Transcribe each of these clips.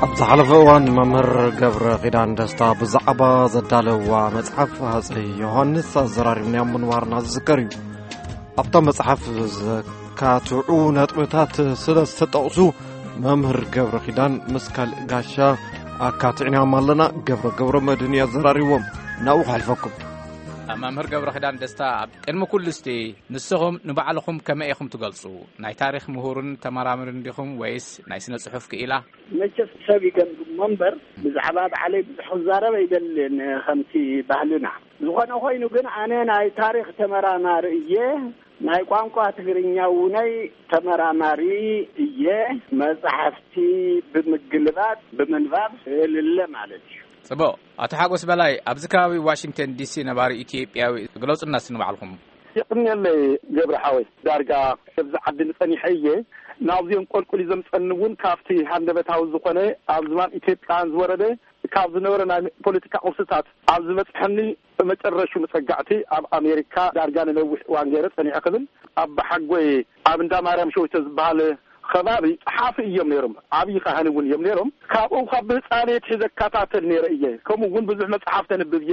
ኣብ ዝሓለፈ እዋን መምህር ገብረ ኺዳን ደስታ ብዛዕባ ዘዳለዋ መጽሓፍ ሃፀይ ዮሃንስ ኣዘራሪብናዮ ምንባርና ዝዝከር እዩ። ኣብታ መጽሓፍ ዘካትዑ ነጥብታት ስለ ዝተጠቕሱ፣ መምህር ገብረ ኺዳን ምስ ካልእ ጋሻ ኣካትዕናዮም ኣለና። ገብረ ገብረ መድህን እዩ ኣዘራሪቦም። ናብኡ ክሕልፈኩም። መምህር ገብረ ኺዳን ደስታ፣ ኣብ ቅድሚ ኩሉ እስቲ ንስኹም ንባዕልኹም ከመይ ኢኹም ትገልጹ? ናይ ታሪኽ ምሁርን ተመራምርን ዲኹም ወይስ ናይ ስነ ጽሑፍ ክኢላ? መቸስ ሰብ ይገምግሞ እምበር፣ ብዛዕባ ባዕለይ ብዙሕ ክዛረብ ኣይደልን፣ ከምቲ ባህልና። ዝኾነ ኮይኑ ግን፣ ኣነ ናይ ታሪኽ ተመራማሪ እየ፣ ናይ ቋንቋ ትግርኛ እውነይ ተመራማሪ እየ። መጻሕፍቲ ብምግልባጥ፣ ብምንባብ እልለ ማለት እዩ። ጽቡቕ። ኣቶ ሓጎስ በላይ፣ ኣብዚ ከባቢ ዋሽንግተን ዲሲ ነባሪ ኢትዮጵያዊ፣ ግለጹና እስቲ ንባዕልኹም። የቕንየለይ ገብረ ሓወይ፣ ዳርጋ ኣብዚ ዓዲ ንጸኒሐ እየ። ናብዚኦም ቆልቁል እዩ ዘምጸኒ እውን ካብቲ ሃንደበታዊ ዝኾነ ኣብ ዝባን ኢትዮጵያን ዝወረደ ካብ ዝነበረ ናይ ፖለቲካ ቅርስታት ኣብ ዝበጽሐኒ መጨረሹ መጸጋዕቲ ኣብ ኣሜሪካ ዳርጋ ንነዊሕ እዋን ገይረ ጸኒዐ ክብል ኣብ ሓጎይ ኣብ እንዳ ማርያም ሸዊቶ ዝበሃል ከባቢ ጸሓፊ እዮም ነይሮም። ዓብዪ ካህን እውን እዮም ነይሮም። ካብኡ ካብ ብህፃነይ ኣትሒዘ እከታተል ነይረ እየ። ከምኡ እውን ብዙሕ መጽሓፍ ተንብብ እየ።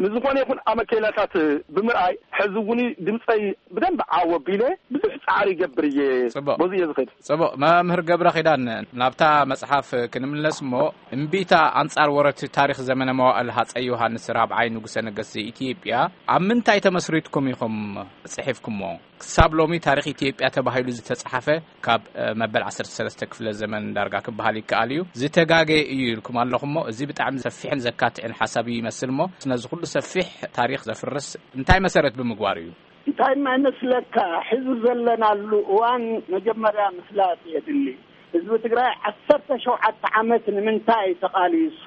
ንዝኾነ ይኹን ኣመኬላታት ብምርኣይ፣ ሕዚ እውን ድምፀይ ብደንብ ዓው ኣቢለ ብዙሕ ፃዕሪ ይገብር እየ። ጽቡቕ። በዚ እየ ዝኸይድ። ጽቡቕ። መምህር ገብረ ኺዳን፣ ናብታ መጽሓፍ ክንምለስ እሞ፣ እምቢታ ኣንጻር ወረርቲ ታሪኽ ዘመነ መዋእል ሃጸይ ዮሃንስ ራብዓይ ንጉሰ ነገስት ዘኢትዮጵያ ኣብ ምንታይ ተመስሪትኩም ኢኹም ጽሒፍኩሞ? ክሳብ ሎሚ ታሪኽ ኢትዮጵያ ተባሂሉ ዝተጻሓፈ ካብ፣ እ፣ መበል ዓሰርተ ሰለስተ ክፍለ ዘመን ዳርጋ ክበሃል ይከኣል እዩ። ዝተጋገየ እዩ ኢልኩም ኣለኹሞ፣ እዚ ብጣዕሚ ሰፊሕን ዘካትዕን ሓሳብ እዩ ይመስል እሞ፣ ነዚ ኩሉ ሰፊሕ ታሪኽ ዘፍርስ እንታይ መሰረት ብምግባር እዩ? እንታይ ማይ መስለካ? ሕዚ ዘለናሉ እዋን መጀመርያ ምፍላጥ የድሊ። ህዝቢ ትግራይ ዓሰርተ ሸውዓተ ዓመት ንምንታይ ተቓሊሱ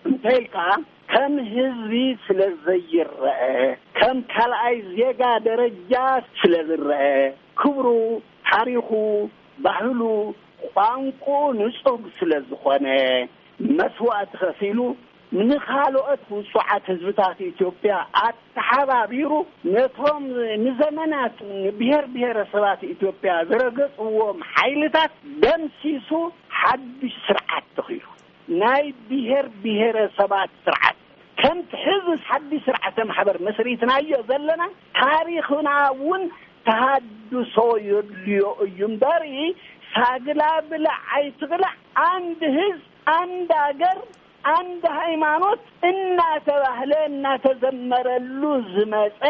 እንተኢልካ፣ ከም ህዝቢ ስለ ዘይረአ፣ ከም ካልኣይ ዜጋ ደረጃ ስለ ዝረአ፣ ክብሩ፣ ታሪኹ፣ ባህሉ፣ ቋንቁ ንጹግ ስለ ዝኾነ፣ መስዋእቲ ከፊሉ ንኻልኦት ውጹዓት ህዝብታት ኢትዮጵያ ኣተሓባቢሩ፣ ነቶም ንዘመናት ብሔር ብሔረሰባት ኢትዮጵያ ዝረገጽዎም ሓይልታት ደምሲሱ ሓድሽ ስርዓት ተኺሉ። ናይ ብሔር ብሔረሰባት ስርዓት፣ ከምቲ ሕዚ ሓድሽ ስርዓተ ማሕበር መስሪትናዮ ዘለና፣ ታሪኽና እውን ተሃድሶ የድልዮ እዩ እምበር፣ ሳግላ ብላዕ ኣይትቕላዕ፣ አንድ ህዝብ፣ አንድ አገር፣ አንድ ሃይማኖት እናተባህለ እናተዘመረሉ ዝመጸ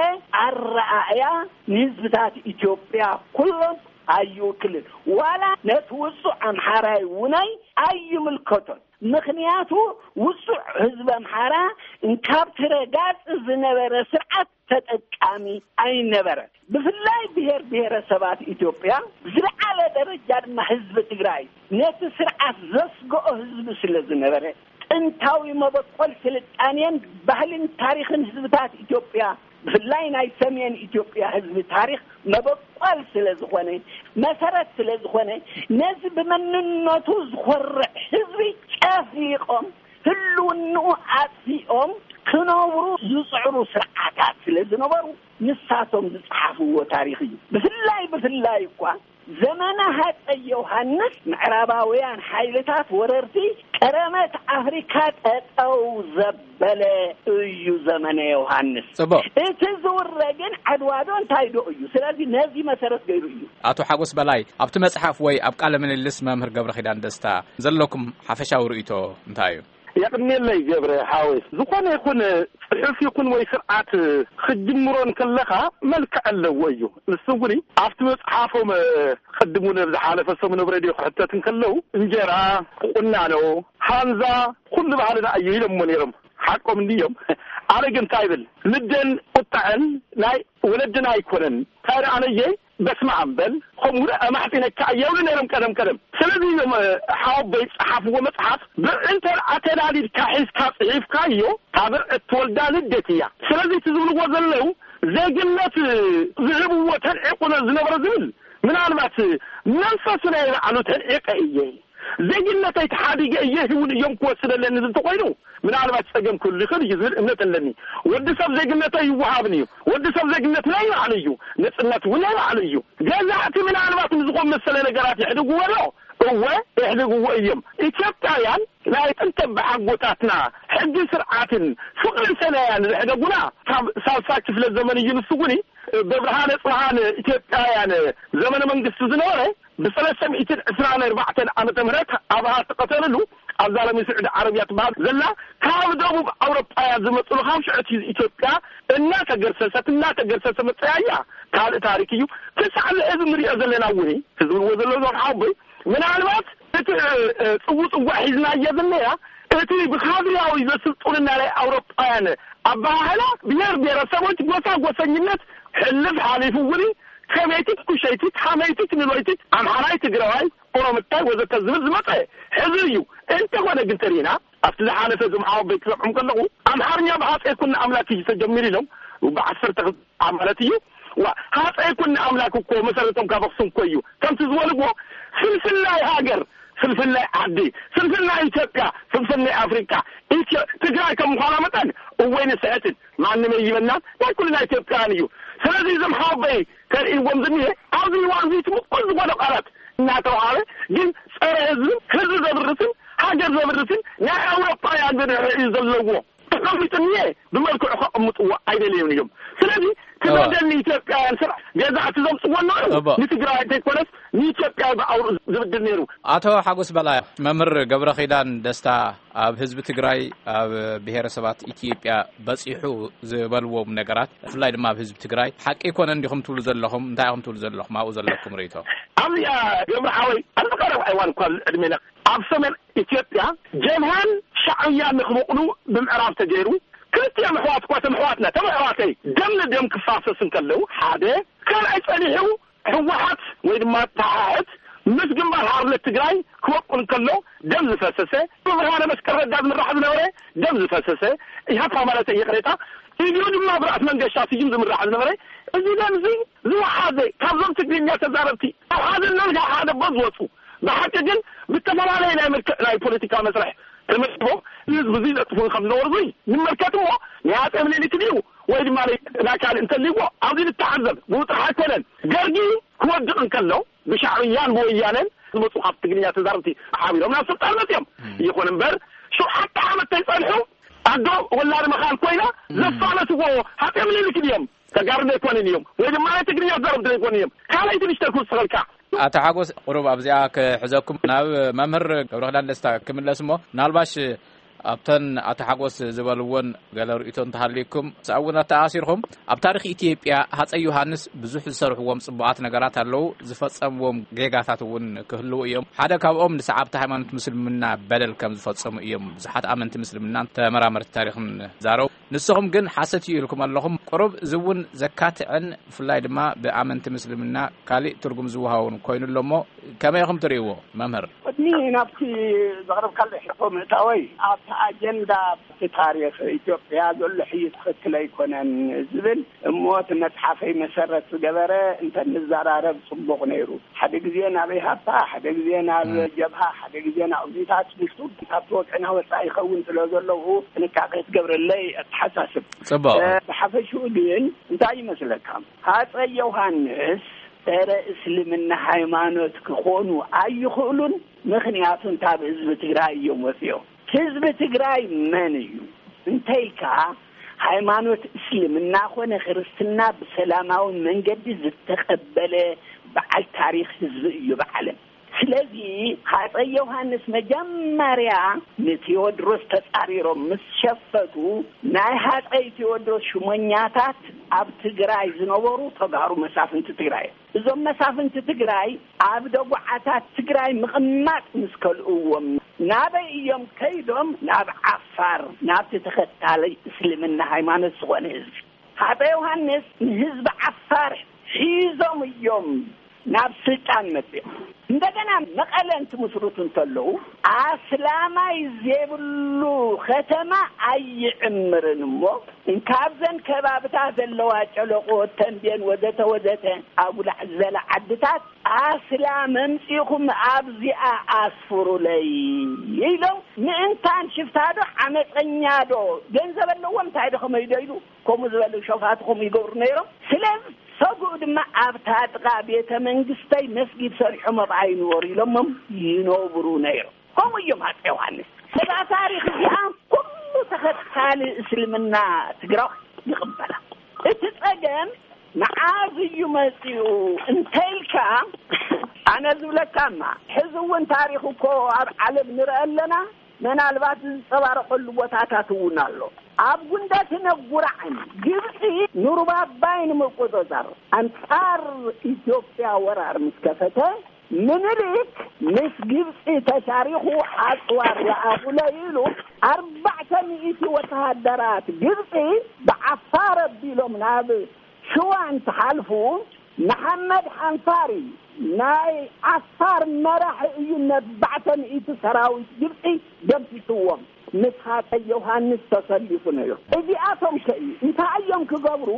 ኣረኣእያ ንህዝብታት ኢትዮጵያ ኩሎም ኣይውክልን። ዋላ ነቲ ውጹዕ ኣምሓራይ ውናይ ኣይምልከቶን። ምኽንያቱ ውጹዕ ህዝቢ ኣምሓራ እንካብ ትረጋጽ ዝነበረ ስርዓት ተጠቃሚ ኣይነበረን። ብፍላይ ብሔር ብሔረሰባት ኢትዮጵያ፣ ዝለዓለ ደረጃ ድማ ህዝቢ ትግራይ ነቲ ስርዓት ዘስግኦ ህዝቢ ስለ ዝነበረ፣ ጥንታዊ መበቆል ስልጣኔን ባህልን ታሪኽን ህዝብታት ኢትዮጵያ፣ ብፍላይ ናይ ሰሜን ኢትዮጵያ ህዝቢ ታሪኽ መበቆል ስለ ዝኾነ፣ መሰረት ስለ ዝኾነ፣ ነዚ ብመንነቱ ዝኾርዕ ህዝቢ ጨፍሊቖም፣ ህልውንኡ ኣጥፊኦም ክነብሩ ዝጽዕሩ ስርዓታት ስለ ዝነበሩ፣ ንሳቶም ዝጸሓፍዎ ታሪኽ እዩ። ብፍላይ፣ ብፍላይ እኳ ዘመነ ሃጸይ ዮሃንስ፣ ምዕራባውያን ሓይልታት ወረርቲ ቀረመት ኣፍሪካ ጠጠው ዘበለ እዩ ዘመነ ዮሃንስ። ጽቡቕ። እቲ ዝውረ ግን ዓድዋ ዶ እንታይ ዶ እዩ። ስለዚ ነዚ መሰረት ገይሩ እዩ። ኣቶ ሓጎስ በላይ፣ ኣብቲ መጽሓፍ ወይ ኣብ ቃለ ምልልስ መምህር ገብረ ኪዳን ደስታ ዘለኩም ሓፈሻዊ ርእይቶ እንታይ እዩ? የቕንየለይ ገብረ ሓወይ፣ ዝኾነ ይኹን ጽሑፍ ይኹን ወይ ስርዓት ክትጅምሮ እንከለኻ መልክዕ ኣለዎ እዩ። ንሱ እውን ኣብቲ መጽሓፎም፣ ቅድም እውን ኣብ ዝሓለፈ ሰሙን ኣብ ሬድዮ ክሕተት እንከለዉ፣ እንጀራ፣ ቁናኖ፣ ሃንዛ፣ ኩሉ ባህልና እዩ ኢሎምዎ ነይሮም። ሓቆም እንድዮም። ኣነ ግን እንታይ ይብል፣ ልደን ቁጣዐን ናይ ወለድና ኣይኮነን። እንታይ ደኣ ኣነየ፣ በስመ ኣብ በል፣ ከምኡ ደኣ ኣማሕጺነካ እየ ይብሉ ነይሮም ቀደም ቀደም። ስለዚ እዮም፣ እ፣ ሓወቦይ ዝጸሓፍዎ መጽሓፍ፣ ብርዒ እንተ ደኣ ተላሊድካ ሒዝካ ጽሒፍካዮ፣ እታ ብርዒ እትወልዳ ልደት እያ። ስለዚ እቲ ዝብልዎ ዘለዉ፣ ዜግነት ዝህብዎ ተንዒቑ ዝነበረ ዝብል፣ ምናልባት መንፈሱ ናይ ባዕሉ ተንዒቐ እየ፣ ዜግነተይ ተሓዲገ እየ፣ እውን እዮም ክወስድ ኣለኒ ዝብል እንተኾይኑ፣ ምናልባት ጸገም ክህሉ ይኽእል እዩ ዝብል እምነት ኣለኒ። ወዲ ሰብ ዜግነተይ ይወሃብኒ እዩ። ወዲ ሰብ ዜግነት ናይ ባዕሉ እዩ። ነጽነት እውን ናይ ባዕሉ እዩ። ገዛእቲ ምናልባት ንዝኾን መሰለ ነገራት የሕድግዎ ኣሎ። እወ፣ የሕድግዎ እዮም። ኢትዮጵያውያን ናይ ጥንተ ብሓጎታትና ሕጊ ስርዓትን ፍቕርን ሰናያን ዘሕደጉና ካብ ሳልሳ ክፍለ ዘመን እዩ። ንሱ እውን በብርሃነ ጽብሃን ኢትዮጵያውያን ዘመነ መንግስቲ ዝነበረ ብሰለስተ ሚእትን ዕስራን ኣርባዕተን ዓመተ ምህረት ኣብሃ ተቐተለሉ ኣብዛ ሎሚ ስዑዲ ዓረብያ ትበሃል ዘላ ካብ ደቡብ ኣውሮጳያ ዝመፅሉ ካብ ሽዑቲ ኢትዮጵያ እናተገርሰሰት እናተገርሰሰ መፀያ እያ። ካልእ ታሪክ እዩ። ክሳዕ እዚ ሕዚ ንሪኦ ዘለና እውን ህዝቢ ንዎ ዘሎ ዞም ሓወቦይ ምናልባት እቲ ጽውጽዋ ሒዝናዮ ዝነያ እቲ ብካድርያዊ ዘስልጡንና ናይ ኣውሮጳውያን ኣበሃህላ ብሔር ብሔረሰቦች ጎሳ ጎሰኝነት ሕልፍ ሓሊፉ እውን ከመይቲት ኩሸይቲት ሓመይቲት ንሎይቲት ኣምሓራይ ትግራዋይ ኦሮምታይ ወዘተ ዝብል ዝመፀ ሕዚ እዩ። እንተኾነ ግን ተሪና ኣብቲ ዝሓለፈ ዝምሓወ ቤት ክሰምዖም ከለኹ ኣምሓርኛ ብሃፀይ ኩነ ኣምላክ እዩ ተጀሚሩ ኢሎም ብዓሰርተ ክልተ ማለት እዩ። ዋ ሃፀይ ኩነ ኣምላክ እኮ መሰረቶም ካብ ኣክሱም እኮ እዩ። ከምቲ ዝበልዎ ፍልፍል ናይ ሃገር ፍልፍል ናይ ዓዲ ፍልፍል ናይ ኢትዮጵያ ፍልፍል ናይ ኣፍሪካ ኢትዮ ትግራይ ከም ምዃና መጠን እወይ ንስሕትን ማንም ይበና ናይ ኩልና ኢትዮጵያውያን እዩ። ስለዚ እዞም ሓወበይ ተርእይዎም ዝኒሀ ኣብዚ እዋን እዚ ትምቁል ዝኾነ ቃላት እናተውሃበ ግን ፀረ ህዝብን ህዝቢ ዘብርስን ሃገር ዘብርስን ናይ ኣውሮፓውያን ብድሕሪኡ ዘለዎ ተቐሚጡ እኒሀ ብመልክዑ ከቐምጥዎ ኣይደለዩን እዮም። ስለዚ ትበደል ንኢትዮጵያውያን ስራሕ ገዛእቲ ዘምፅዎ ኣለዉ ንትግራይ እንተይኮነስ ንኢትዮጵያ ብኣውሩ ዝብድል ነይሩ። ኣቶ ሓጎስ በላይ፣ መምህር ገብረ ኪዳን ደስታ ኣብ ህዝቢ ትግራይ ኣብ ብሔረሰባት ኢትዮጵያ በፂሑ ዝበልዎም ነገራት ብፍላይ ድማ ኣብ ህዝቢ ትግራይ ሓቂ ይኮነ እንዲኹም ትብሉ ዘለኹም እንታይ ኢኹም ትብሉ ዘለኹም ኣብኡ ዘለኩም ርእቶ? ኣብዚኣ ገብረ ሓወይ ኣብዚ ቀረብ ኣይዋን እኳ ዕድሜና ኣብ ሰሜን ኢትዮጵያ ጀብሃን ሻዕብያን ንክበቕሉ ብምዕራብ ተገይሩ ክልቲኦም ኣሕዋት እኳ ተም ኣሕዋትና ተም ኣሕዋተይ ደም ንደም ክፋሰስ እንከለዉ ሓደ ካልኣይ ፀኒሑ ህወሓት ወይ ድማ ተሓሕት ምስ ግንባር ሓርነት ትግራይ ክወቁል እንከሎ ደም ዝፈሰሰ ብብርሃነ መስቀል ረዳ ዝምራሕ ዝነበረ ደም ዝፈሰሰ ኢህኣፓ ማለት ይቕሬታ ኢሉ ድማ ብራእሲ መንገሻ ስዩም ዝምራሕ ዝነበረ እዚ ደም እዚ ዝወሓዘ ካብዞም ትግርኛ ተዛረብቲ ኣብ ሓደ ነልጋ ሓደ ቦ ዝወፁ ብሓቂ ግን ብተፈላለየ ናይ መልክዕ ናይ ፖለቲካ መስርሕ ተመዲቦም ንህዝቢ እዚ ዘጥፍኡ ከም ዝነበሩ እዚ ንመልከት እሞ ናይ ኣፀ ምኒልክ ድዩ ወይ ድማ ናይ ካልእ እንተልይዎ ኣብዚ ንተዓዘብ ብኡ ጥራሕ ኣይኮነን ደርጊ ክወድቕ እንከሎ ብሻዕብያን ብወያነን ዝመፁ ካብ ትግርኛ ተዛረብቲ ሓቢሮም ናብ ስልጣን መፅዮም ይኹን እምበር ሸውዓተ ዓመት ተይፀንሑ ኣዶ ወላድ መኻል ኮይና ዘፋለስዎ ሃፀ ምኒልክ ድዮም ተጋሩ ዘይኮንን እዮም ወይ ድማ ናይ ትግርኛ ዘረብቲ ዘይኮኑ እዮም። ካልኣይቲ ንሽተ ክውስኸልካ። ኣቶ ሓጎስ ቁሩብ ኣብዚኣ ክሕዘኩም ናብ መምህር ገብረክዳን ደስታ ክምለስ እሞ ምናልባሽ ኣብተን ኣቶ ሓጎስ ዝበልዎን ገለ ርእቶ እንተሃልዩኩም ስኣውን ኣተኣሲርኩም ኣብ ታሪክ ኢትዮጵያ ሃፀይ ዮሃንስ ብዙሕ ዝሰርሕዎም ፅቡቓት ነገራት ኣለዉ ዝፈፀምዎም ጌጋታት እውን ክህልዉ እዮም ሓደ ካብኦም ንሰዓብቲ ሃይማኖት ምስልምና በደል ከም ዝፈፀሙ እዮም ብዙሓት ኣመንቲ ምስልምናን ተመራመርቲ ታሪክን ዛረቡ ንስኹም ግን ሓሰት እዩ ኢልኩም ኣለኹም ቁሩብ እዚ እውን ዘካትዕን ብፍላይ ድማ ብኣመንቲ ምስልምና ካሊእ ትርጉም ዝወሃውን ኮይኑ ኣሎ እሞ ከመይ ኢኹም ትርእይዎ መምህር? ቅድሚ ናብቲ ዘቕረብካለይ ሕቶ ምእታወይ ኣብቲ ኣጀንዳ እቲ ታሪኽ ኢትዮጵያ ዘሎ ሕይት ትኽክል ኣይኮነን ዝብል እሞ እቲ መፅሓፈይ መሰረት ዝገበረ እንተንዘራረብ ፅቡቕ ነይሩ። ሓደ ግዜ ናብ ኢሃፓ፣ ሓደ ግዜ ናብ ጀብሃ፣ ሓደ ግዜ ናብ እዚታት ምስቱ ካብቲ ወግዕና ወፃኢ ይኸውን ስለ ዘለዉ ጥንቃቄ ትገብረለይ ኣተሓሳስብ። ፅቡቕ። ብሓፈሽኡ ግን እንታይ ይመስለካ? ሃፀይ ዮሃንስ ፀረ እስልምና ሃይማኖት ክኾኑ ኣይኽእሉን። ምኽንያቱ እንታ ብህዝቢ ትግራይ እዮም ወፂኦም። ህዝቢ ትግራይ መን እዩ እንተይልካ ሃይማኖት እስልምና ኮነ ክርስትና ብሰላማዊ መንገዲ ዝተቐበለ በዓል ታሪክ ህዝቢ እዩ ብዓለም። ስለዚ ሃፀይ ዮሃንስ መጀመርያ ንቴዎድሮስ ተፃሪሮም ምስ ሸፈቱ ናይ ሃፀይ ቴዎድሮስ ሽሞኛታት ኣብ ትግራይ ዝነበሩ ተጋሩ መሳፍንቲ ትግራይ እዮም። እዞም መሳፍንቲ ትግራይ ኣብ ደጉዓታት ትግራይ ምቕማጥ ምስ ከልእዎም ናበይ እዮም ከይዶም ናብ ዓፋር ናብቲ ተኸታሊ እስልምና ሃይማኖት ዝኾነ ህዝቢ ሃፀ ዮሃንስ ንህዝቢ ዓፋር ሒዞም እዮም ናብ ስልጣን መፅኦም። እንደገና መቐለ እንትምስርቱ እንተለዉ ኣስላማይ ዘይብሉ ከተማ ኣይዕምርን እሞ እንካብዘን ከባብታት ዘለዋ ጨለቆ ተንቤን ወዘተ ወዘተ ኣጉላዕ ዝበላ ዓድታት ኣስላም ኣምፂኹም ኣብዚኣ ኣስፍሩለይ ኢሎም ምእንታን ሽፍታዶ ዓመፀኛዶ ገንዘብ ኣለዎም እንታይ ዶ ከመይዶ ኢሉ ከምኡ ዝበሉ ሸፋቱ ከምኡ ይገብሩ ነይሮም። ስለዚ ተጉኡ ድማ ኣብታ ጥቓ ቤተ መንግስተይ መስጊድ ሰሪሖም ኣብኣ ይንበሩ ኢሎሞም ይነብሩ ነይሮም። ከምኡ እዮም ኣፀ ዮሃንስ። እዛ ታሪኽ እዚኣ ኩሉ ተኸታሊ እስልምና ትግራዋይ ይቕበላ። እቲ ፀገም መዓዝ እዩ መፂኡ እንተኢልካ፣ ኣነ ዝብለካማ፣ ሕዚ እውን ታሪኽ እኮ ኣብ ዓለም ንርኢ ኣለና። መናልባት ዝፀባረቐሉ ቦታታት እውን ኣሎ። ኣብ ጉንደትን ኣጉራዕን ግብፂ ኑርባባይ ንምቁፅፃር ኣንፃር ኢትዮጵያ ወራር ምስ ከፈተ፣ ምኒልክ ምስ ግብፂ ተሻሪኹ ኣፅዋር ለኣኹለይ ኢሉ ኣርባዕተ ሚእቲ ወተሃደራት ግብፂ ብዓፋር ኣቢሎም ናብ ሽዋ እንትሓልፉ፣ መሓመድ ሓንፋሪ ናይ ዓፋር መራሒ እዩ ነባዕተ ሚእቲ ሰራዊት ግብፂ ደምሲስዎም። ምስ ሃፀ ዮሃንስ ተሰሊፉ ነይሩ። እዚኣቶም ከ እንታይ እዮም ክገብሩ?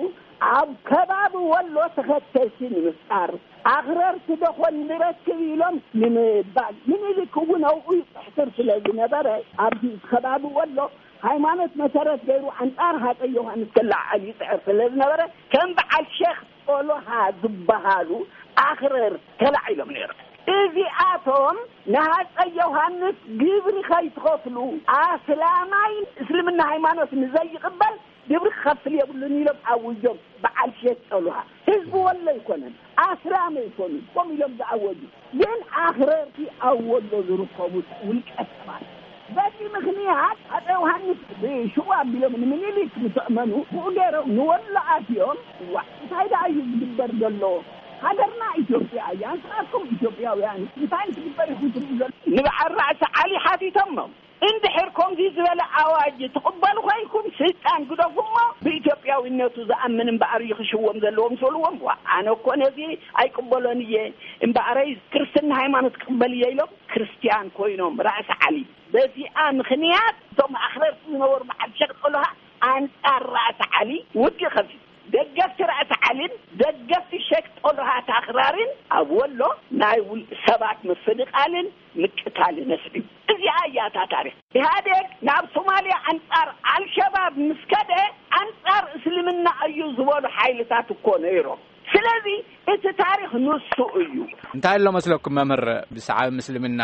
ኣብ ከባቢ ወሎ ተኸተልቲ ንምፍጣር፣ ኣኽረርቲ ደኾን ንረክብ ኢሎም ንምባል፣ ምኒልክ እውን ኣብኡ ይፅሕትር ስለ ዝነበረ፣ ኣብዚ ከባቢ ወሎ ሃይማኖት መሰረት ገይሩ ኣንፃር ሃፀ ዮሃንስ ክለዓል ይፅዕር ስለ ዝነበረ፣ ከም በዓል ሼክ ጦሎሃ ዝበሃሉ ኣኽረር ተላዒሎም ነይሮም። እዚኣቶም ንሃፀ ዮሃንስ ግብሪ ከይትኸፍሉ፣ ኣስላማይ እስልምና ሃይማኖት ንዘይቕበል ግብሪ ክኸፍል የብሉን ኢሎም ኣውጆም። በዓል ሼክ ጦሎሃ ህዝቢ ወሎ ኣይኮነን፣ ኣስላም ኣይኮኑን፣ ከምኡ ኢሎም ዝኣወጁ። ግን ኣኽረርቲ ኣብ ወሎ ዝርከቡ ውልቀ ሰባት፣ በዚ ምኽንያት ኣፀ ዮሃንስ ብሽዋ ኣቢሎም ንምኒልክ ምስ ኣእመኑ፣ ብኡ ገይሮም ንወሎ ኣትዮም። ዋ፣ እንታይ ደኣ እዩ ዝግበር ዘሎ? ሃገርና ኢትዮጵያ እያ፣ ንስኻትኩም ኢትዮጵያውያን እንታይ እንትግበር ኢኹም ትርእዩ ዘሎ? ንበዓል ራእሲ ዓሊ ሓቲቶሞም፣ እንድሕር ከምዚ ዝበለ ኣዋጅ ትቕበሉ ኮይንኩም፣ ስልጣን ግደፉ እሞ ብኢትዮጵያዊነቱ ዝኣምን እምበኣር እዩ ክሽወም ዘለዎ ምስ በልዎም፣ ዋ፣ ኣነ እኮ ነዚ ኣይቅበሎን እየ፣ እምበኣረይ ክርስትና ሃይማኖት ክቕበል እየ ኢሎም ክርስትያን ኮይኖም ራእሲ ዓሊ። በዚኣ ምኽንያት እቶም ኣኽረርቲ ዝነበሩ በዓል ሸቕ ጦሎሃ ኣንጻር ራእሲ ዓሊ ውግእ ከፊቱ። ደገፍቲ ራእሲ ዓሊን ደገፍቲ ሸቅ ጦልሃት ኣኽራሪን ኣብ ወሎ ናይ ውልቂ ሰባት ምፍንቓልን ምቅታልን ኣስዒቡ። እዚኣ እያ እታ ታሪኽ። ኢህኣዴግ ናብ ሶማልያ ኣንጻር ኣልሸባብ ምስ ከደ ኣንጻር እስልምና እዩ ዝበሉ ሓይልታት እኮ ነይሮም። ስለዚ እቲ ታሪኽ ንሱ እዩ። እንታይ ኣሎ መስለኩም መምህር፣ ብሰዓብ ምስልምና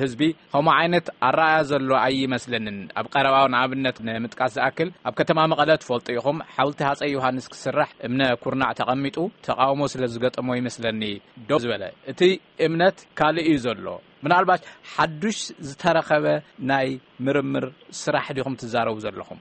ህዝቢ ከምኡ ዓይነት ኣረኣያ ዘሎ ኣይመስለንን። ኣብ ቀረባ ንኣብነት ንምጥቃስ ዝኣክል ኣብ ከተማ መቐለ ትፈልጡ ኢኹም፣ ሓውልቲ ሃፀይ ዮሃንስ ክስራሕ እምነ ኩርናዕ ተቐሚጡ ተቃውሞ ስለ ዝገጠሞ ይመስለኒ ደው ዝበለ። እቲ እምነት ካልእ እዩ ዘሎ። ምናልባት ሓዱሽ ዝተረኸበ ናይ ምርምር ስራሕ ዲኹም ትዛረቡ ዘለኹም?